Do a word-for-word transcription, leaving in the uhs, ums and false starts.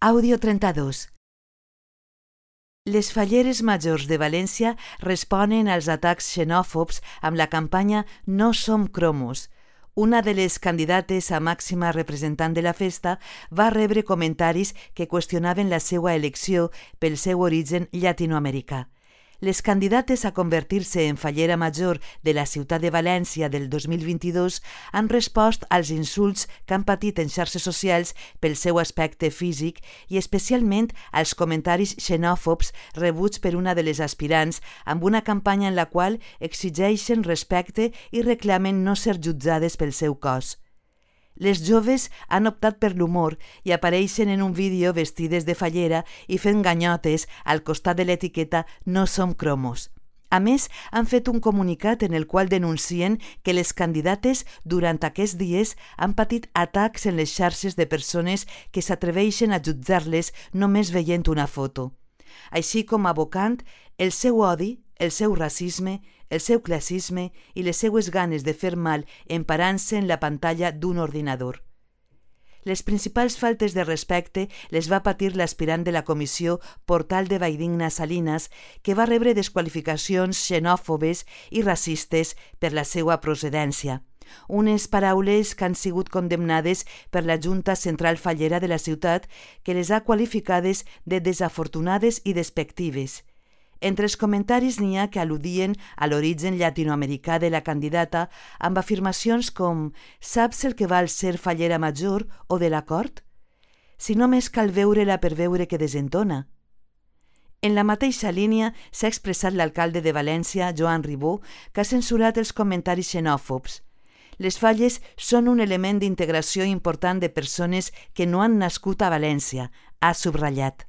Àudio trenta-dos. Les falleres majors de València responen als atacs xenòfobs amb la campanya No som cromos. Una de les candidates a màxima representant de la festa va rebre comentaris que qüestionaven la seva elecció pel seu origen llatinoamericà. Les candidates a convertir-se en fallera major de la ciutat de València del dos mil vint-i-dos han respost als insults que han patit en xarxes socials pel seu aspecte físic i especialment als comentaris xenòfobs rebuts per una de les aspirants amb una campanya en la qual exigeixen respecte i reclamen no ser jutjades pel seu cos. Les joves han optat per l'humor i apareixen en un vídeo vestides de fallera i fent ganyotes al costat de l'etiqueta No som cromos. A més, han fet un comunicat en el qual denuncien que les candidates durant aquests dies han patit atacs en les xarxes de persones que s'atreveixen a jutjar-les només veient una foto, així com abocant el seu odi, el seu racisme, el seu classisme i les seues ganes de fer mal emparant-se en la pantalla d'un ordinador. Les principals faltes de respecte les va patir l'aspirant de la comissió Portal de Valldigna Salinas, que va rebre desqualificacions xenòfobes i racistes per la seva procedència. Unes paraules que han sigut condemnades per la Junta Central Fallera de la ciutat, que les ha qualificades de desafortunades i despectives. Entre els comentaris n'hi ha que al·ludien a l'origen llatinoamericà de la candidata amb afirmacions com «Saps el que val ser fallera major o de la cort? Si només cal veure-la per veure que desentona». En la mateixa línia s'ha expressat l'alcalde de València, Joan Ribó, que ha censurat els comentaris xenòfobs. Les falles són un element d'integració important de persones que no han nascut a València, ha subratllat.